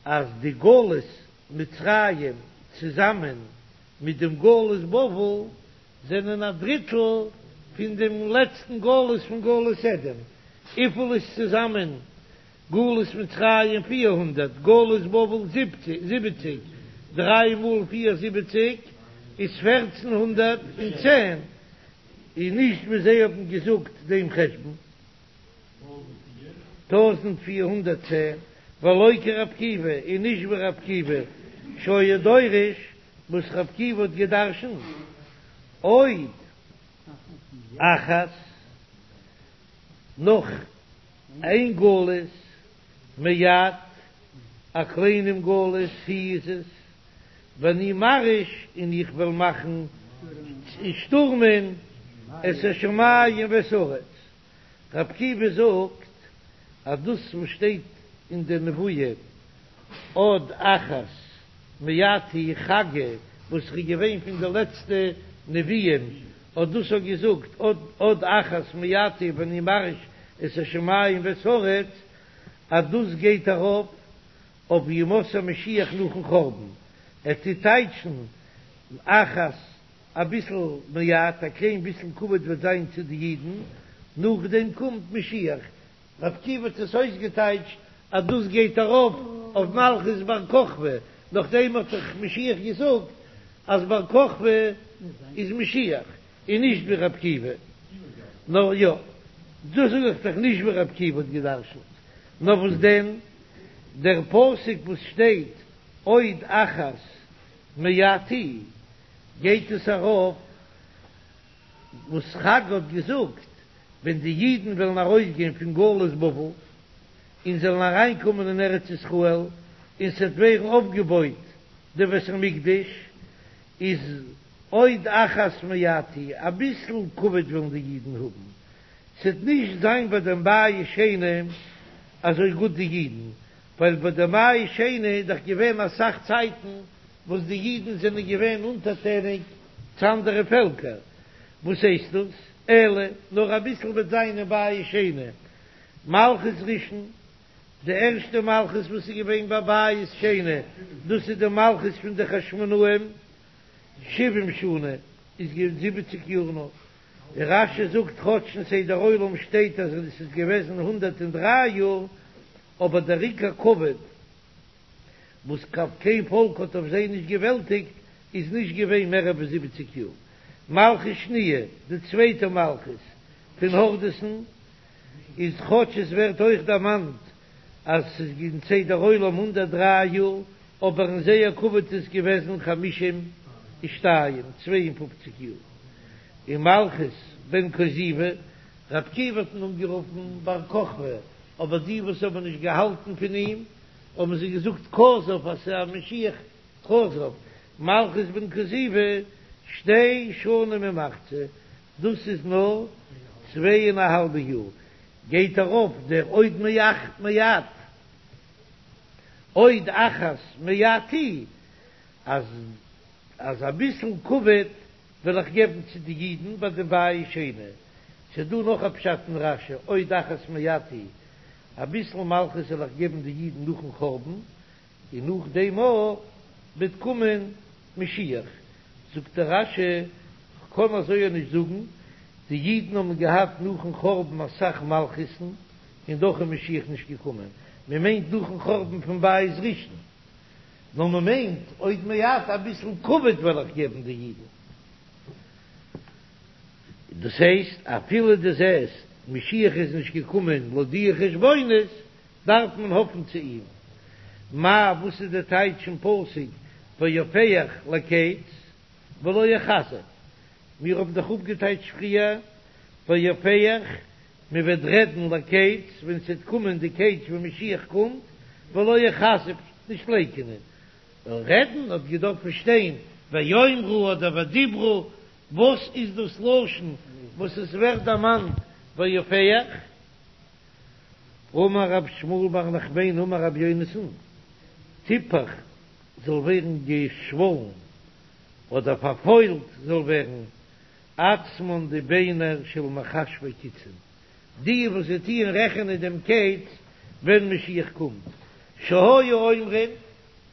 A: אז די גלות מצרים צוזאמען מיט דעם גלות בבל זענען א דריטל פון דעם לעצטן גלות פון גלות אדום, וויפיל איז צוזאמען גלות מצרים 400, גלות בבל זיבעציק, דריי מאל פיר זיבעציק איז פערצן הונדערט און צען, איז נישט ווי זיי האבן געזאגט דעם חשבון. 1410, ולא כר' עקיבא, און נישט ווי ר' עקיבא שהיה דורש, וואס ר' עקיבא האט געדרשנט עוד אחת, נאך איין גלות, מעט, א קליינעם גלות, היא איז עס, ואני מרעיש, און איך וועל מאכן שטורמען את השמים ואת הארץ. ר' עקיבא זאגט אז דאס וואס שטייט אין די נבואה עוד אחת מעט היא חגי וואס איז געווען פון די לעצטע נביאים האט דאס האט געזאגט עוד אחת מעט היא ואני מרעיש את השמים ואת הארץ אז דאס גייט ארויף אויף ימות המשיח נאכן חורבן ער טוט טייטשן אחת. אביסל מעט, א קליין ביסל כבוד וועט זיין צו די אידן, נאכדעם קומט משיח. ר' עקיבא האט עס אויסגעטייטשט אז דאס גייט ארויף אויף מלכות בר כוכבא, נאכדעם האט דאך משיח געזאגט אז בר כוכבא איז משיח און נישט ווי ר' עקיבא, נאר יא, דאס זאג איך דאך נישט ווי ר' עקיבא האט גע'דרש'נט, נאר וואס דען, דער פסוק וואס שטייט עוד אחת מעט היא גייט עס ארויף וואס חגי האט געזאגט, ווען די אידן וועלן ארויסגיין פון גלות בבל און זאלן אריינקומען אין ארץ ישראל און ס'וועט ווערן אויפגעבויט די בית המקדש, איז עוד אחת מעט היא, אביסל כבוד וועלן די אידן האבן, ס'וועט נישט זיין ביי דעם בית שני אזוי גוט די אידן, ווייל ביי דעם בית שני איז דאך געווען אסאך צייטן וואס די אידן זענען געווען אונטערטעניג צו אנדערע פעלקער, וואס הייסט דאס? אלא נאר אביסל וועט זיין אין בית שני, מלכות ראשון, די ערשטע מלכות וואס איז געווען ביי בית שני, דאס איז די מלכות פון די חשמונאים, שבעים שנה, איז געווען זיבעציג יאר נאר, און רש"י זאגט כאטש אין סדר עולם שטייט אז עס איז געוועזן הונדערט און דריי יאר, אבער דער עיקר כבוד וואס קיין פאלק האט אויף זיי נישט געוועלטיגט איז נישט געווען מער ווי זיבעציג יאר. מלכות שניה, די צווייטע מלכות פון הורדוס'ן, איז כאטש עס ווערט אויך דערמאנט אז ס'איז אין סדר עולם 103 יאר, אבער אין זייער כבוד איז געוועזן חמישים ושתיים, 52 יאר. און מלכות בן כוזיבא, ר' עקיבא האט מען אנגערופן בר כוכבא, אבער די וואס האבן נישט געהאלטן פון אים האבן זיי געזאגט כזב אז ס'איז א משיח כזב, מלכות בן כוזיבא שתי שנים ומחצה, דאס איז נאר צוויי און א האלבע יאר, גייט ארויף דער עוד מעט מעט עוד אחת מעט היא, אז אז אביסל כבוד וועל איך געבן צו די אידן ביי די בית שני, ס'איז דא נאך א פשט אין רש"י עוד אחת מעט היא, אביסל מלכות זאל איך געבן די אידן נאכן חורבן, און נאך דעם אויך וועט קומען משיח. זאגט דער רש"י, כ'קען אזוי נישט זאגן, די אידן האבן געהאט נאכן חורבן אסאך מלכות'ן, און דאך איז משיח נישט געקומען, מען מיינט נאכן חורבן פון בית ראשון, נאר מען מיינט עוד מעט אביסל כבוד וועל איך געבן די אידן. דאס הייסט אפילו דו זעסט משיח איז נישט געקומען לויט די חשבונות, דארף מען האפן צו אים. מאי וואס איז די טייטש אין פסוק והוכח לקץ ולא יכזב? מיר האבן דאך אפגעטייטשט פריער והוכח מען וועט רעדן לקץ ווען ס'וועט קומען די קץ ווען משיח קומט, ולא יכזב נישט לייקענען. רעדן האט געדארפט שטיין ויאמרו אדער ודיברו, וואס איז דאס לשון וואס עס ווערט דערמאנט והוכח? אמר רב שמואל בר נחמני אמר רבי יונתן, תיפח זאל ווערן געשוואלן אדער פארפוילט זאל ווערן עצמן די ביינער של מחשבי קיצין, די וואס זיי טוען רעכענען דעם קץ ווען משיח קומט, שהיו אומרים,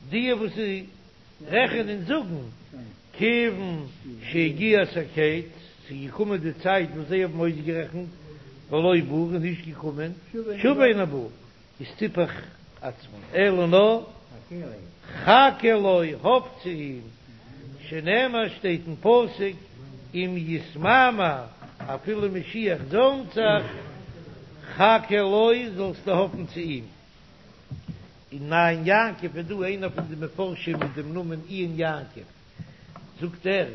A: די וואס זיי רעכענען זאגן, כיוון שהגיע את הקץ, ס'איז געקומען די צייט וואס זיי האבן אויסגערעכנט, ולא בא, איז נישט געקומען, שוב אינו בא, איז תיפח עצמן, אלא נאר חכה לו, האף צו אים, שנאמר שטייט אין פסוק, אם יתמהמה, אפילו משיח זוימט זיך, חכה לו, זאלסטו האפן צו אים. אין עין יעקב איז דא איינער פון די מפרשים מיט דעם נאמען עיון יעקב, זאגט ער,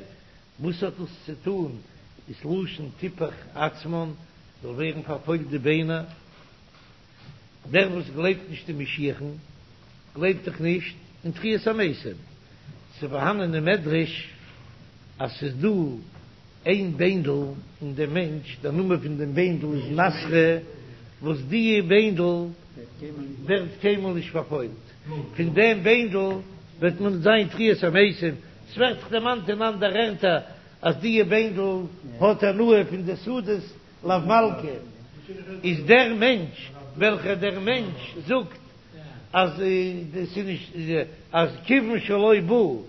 A: וואס האט דאס צו טאן דאס לשון תיפח עצמן, זאל ווערן פארפוילט די ביינער? דער וואס גלייבט נישט אין משיח'ן, גלייבט דאך נישט אין תחיית המתים. ס'איז פארהאנען אין מדרש אז ס'איז דא איין ביינדל אין דעם מענטש, דער נאמען פון דעם ביינדל איז נסכא, וואס די ביינדל ווערט קיינמאל נישט פארפוילט, פון דעם ביינדל וועט מען זיין תחיית המתים, ס'ווערט דאך דערמאנט אין אנדערע ערטער אז די ביינדל האט הנאה פון די סעודות לאו מלכא, איז דער מענטש וועלכער דער מענטש זאגט אז ס'איז נישט אז כיוון שלא בא.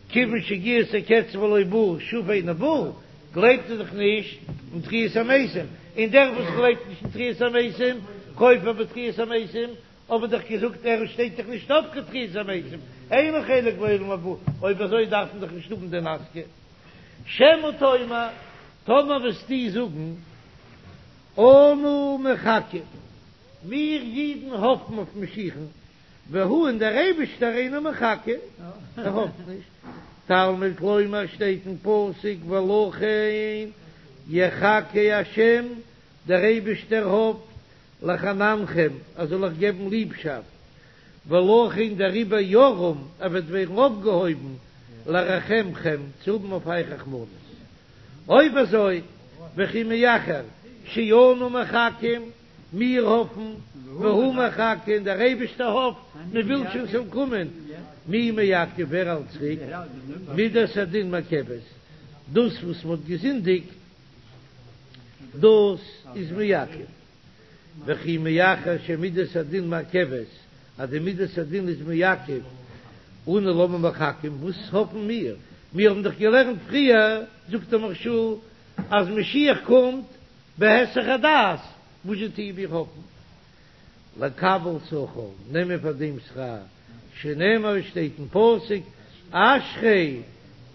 A: כיוון שהגיע הקץ ולא בא שוב אינו בא, גלייבט ער דאך נישט אין תחיית המתים, און דער וואס גלייבט נישט אין תחיית המתים כופר בתחיית המתים, האב איך דאך געזאגט ער שטייט דאך נישט אויף קיין תחיית המתים, אין לו חלק בעולם הבא, אויב אזוי דארף מען דאך נישט האבן די נסכא. שמא תאמר, טאמער וועסטו זאגן אנו מחכים, מיר אידן האפן אויף משיח'ן, והוא און דער אייבישטער אינו מחכה, ער האפט נישט, תלמוד לומר שטייט אין פסוק ולכן יחכה השם, דער אייבישטער האפט לחננכם, ער זאל אייך געבן ליבשאפט, ולכן דעריבער ירום, ער וועט ווערן אויפגעהויבן, לרחמכם, צו האבן אויף אייך רחמנות. אויב אזוי, וכי מאחר שאנו מחכים, מיר האפן, והוא מחכה, און דער אייבערשטער האפט, מען וויל שוין ס'זאל קומען, מי מעכב, ווער האלט צוריק? מידת הדין מעכבת, דאס וואס מען האט געזינדיגט, דאס איז מעכב. וכי מאחר שמידת הדין מעכבת, אז די מידת הדין איז מעכב, אנו למה מחכים, וואס האפן מיר? מיר האבן דאך געלערנט פריער, זאגט דער מהרש"א, אז משיח קומט בהיסח הדעת, וואס זשע טוען מיר האפן? לקבל שכר, נעמען פאר דעם שכר, שנאמר שטייט אין פסוק, אשרי,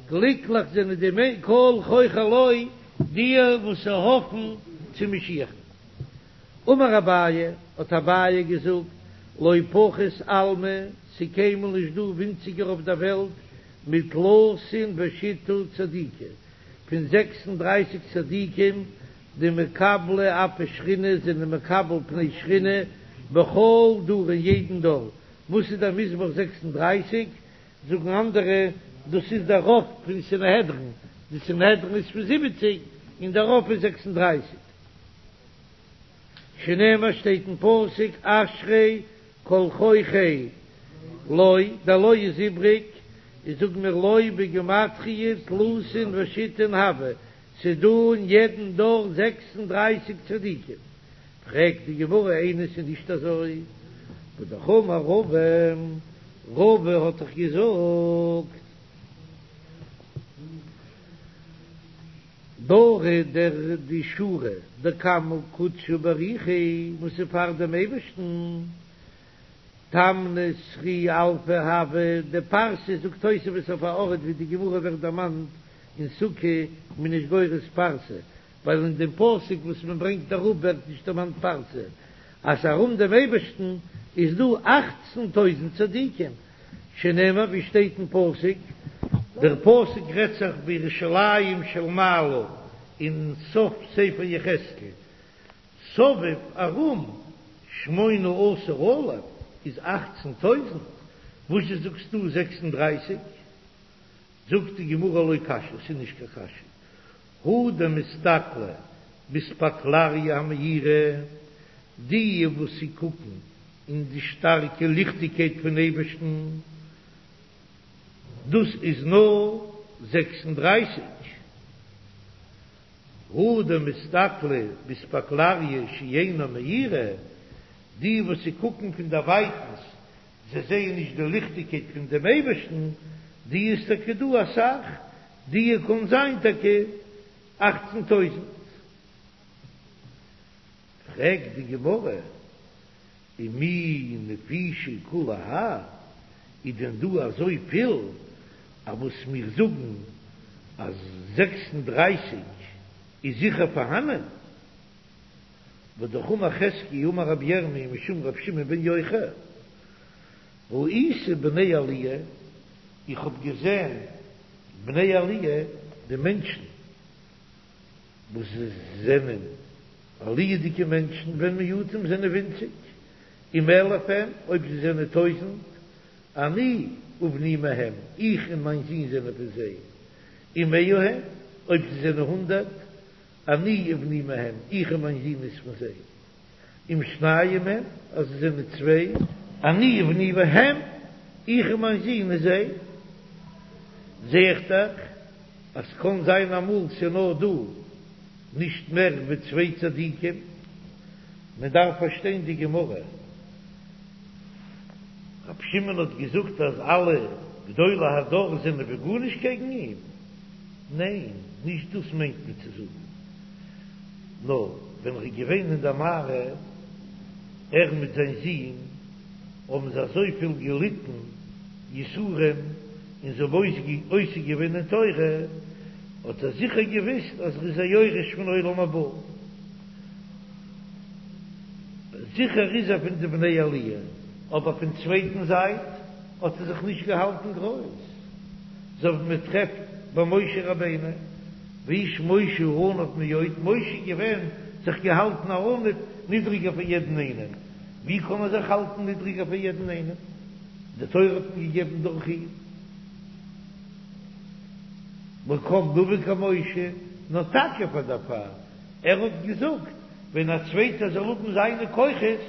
A: גליקליך זענען די מענ כל חוכי לו, די וואס האפן צו משיח'ן. אמר אביי, האט אביי געזאגט, לא פחית עלמא, ס'קיינמאל נישט דא ווינציגער אויף דער וועלט מתלתין ושיתא צדיקי, פון 36 צדיקים דמקבלי אפי שכינה זענען מקבל פני שכינה בכל דור אין יעדן דור, וואס איז דער מספר 36? זאגן אנדערע דאס איז דער רוב פון סנהדרין, די סנהדרין איז פון זיבעציק און דער רוב איז 36. שנאמר שטייט אין פסוק אשרי כל חוכי לו, דער לו איז איבריג, איז זאגן מיר לו בגימטריא תלתין ושיתין הוה, ס'איז דא אין יעדן דור 36 צדיקים, פרעגט די גמרא איני ס'איז נישט אזוי, והאמר רבא, רבא האט דאך געזאגט. דרא דער די שורה דקמי קודשא בריך הוא וואס איז פאר דעם אייבערשטן, תמניא סרי אלפי הוו, די פרסה זאגט תוספות אויף א ארט ווי די גמרא ווערט דערמאנט אין סוכה מ'איז נישט גורס פרסה, ווייל אין דעם פסוק וואס מען ברענגט אראפ ווערט נישט דערמאנט פרסה, אז ארום דעם אייבערשטן איז דא אכצן טויזנט צדיקים, שנאמר ווי שטייט אין פסוק. דער פסוק רעדט זיך בירושלים של מעלה אין סוף ספר יחזקאל, סביב ארום שמונה עשר אלף איז אכצן טויזנט, וואס זשע זאגסטו זעקס און דרייסיג? זאגט די גמרא לא קשיא, ס'איז נישט קיין קשיא, הא דמסתכלי באספקלריא המאירה, די וואס ס'קוקן אין די שטארקע ליכטיגקייט פון אייבערשטן, דאס איז נאר 36, הא דמסתכלי באספקלריא שאינה מאירה, די וואס ס'קוקן פון דערווייטנס, זיי זעען נישט די ליכטיגקייט פון דעם אייבערשטן, די איז טאקע דא אסאך, די קען זיין טאקע אכצן טויזנט. פרעגט די גמרא, ומי נפישי כולי האי, איז דען דא אזוי פיל אז וואס מיר זאגן אז 36 איז זיכער פארהאנען? והאמר חזקיה אמר רבי ירמי' משום רבי שמעון בן יוחאי, ראיתי בני עליה, איך האב געזען בני עליה, די מענטשן וואס זענען עליה'דיגע מענטשן, והן מועטים זענען ווינציג, אם אלף הם, אויב זיי זענען טויזנט, אני ובני מהם, איך און מיין זון זענען פון זיי, אם מאה הם, אויב זיי זענען הונדערט, אני ובני מהם, איך און מיין זון איז פון זיי. אם שניים הם, אז זיי זענען צוויי. אני ובני מהם, איך און מיין זון איז זיי. זע איך דאך אז ס'קען זיין אמאל ס'איז נאר דא נישט מער ווי צוויי צדיקים. מען דארף פארשטיין די גמרא. רבי שמעון האט געזאגט אז אלע. גדולי הדור זענען ווי גארנישט קעגן אים? ניין, נישט דאס מיינט מען צו זאגן, נאר ווען ער איז געווען אין דער מערה, ער מיט זיין זון, האבן זיי אזויפיל געליטן יסורים און זיי האבן עוסק געווען אין תורה, האט ער זיכער געוויסט אז ער איז א יורש פון עולם הבא. זיכער איז ער פון די בני עליה, אבער פון צווייטן זייט האט ער זיך נישט געהאלטן גרויס, אזוי ווי מען טרעפט ביי משה רבינו, והאיש משה הוא עניו מאוד, משה איז געווען זיך געהאלטן א עניו נידריגער פון יעדן איינעם, ווי קען מען זיך האלטן נידריגער פון יעדן איינעם? די תורה האט מען געגעבן דורך אים. לא קם נביא כמשה, נאר טאקע פאר דערפאר, ער האט געזאגט, ווען א צווייטער זאל האבן זיינע כוחות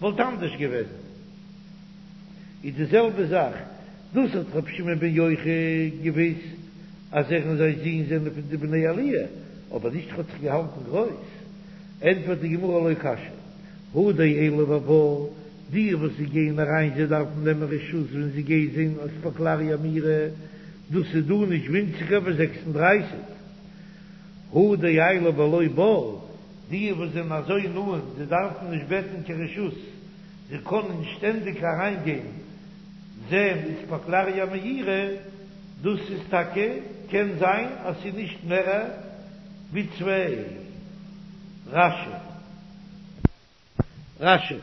A: וואלט אנדערש געווען. איז די זעלבע זאך, דאס האט רבי שמעון בן יוחאי געוויסט אז ער און זיין זון זענען פון די בני עליה, אבער נישט ער האט זיך געהאלטן גרויס. ענטפערט די גמרא לא קשיא, הא דעיילי בבר, די וואס זיי גייען אריין זיי דארפן נעמען רשות ווען זיי גייען זען אספקלריא המאירה, דאס איז דא נישט ווינציגער ווי 36. הא דעיילי בלא בר, די וואס זענען אזוי נאנט זיי דארפן נישט בעטן קיין רשות, זיי קענען שטענדיג אריין גיין זען אספקלריא המאירה, דאס איז טאקע קען זיין אז ס'איז נישט מער ווי צוויי. רש"י. רש"י.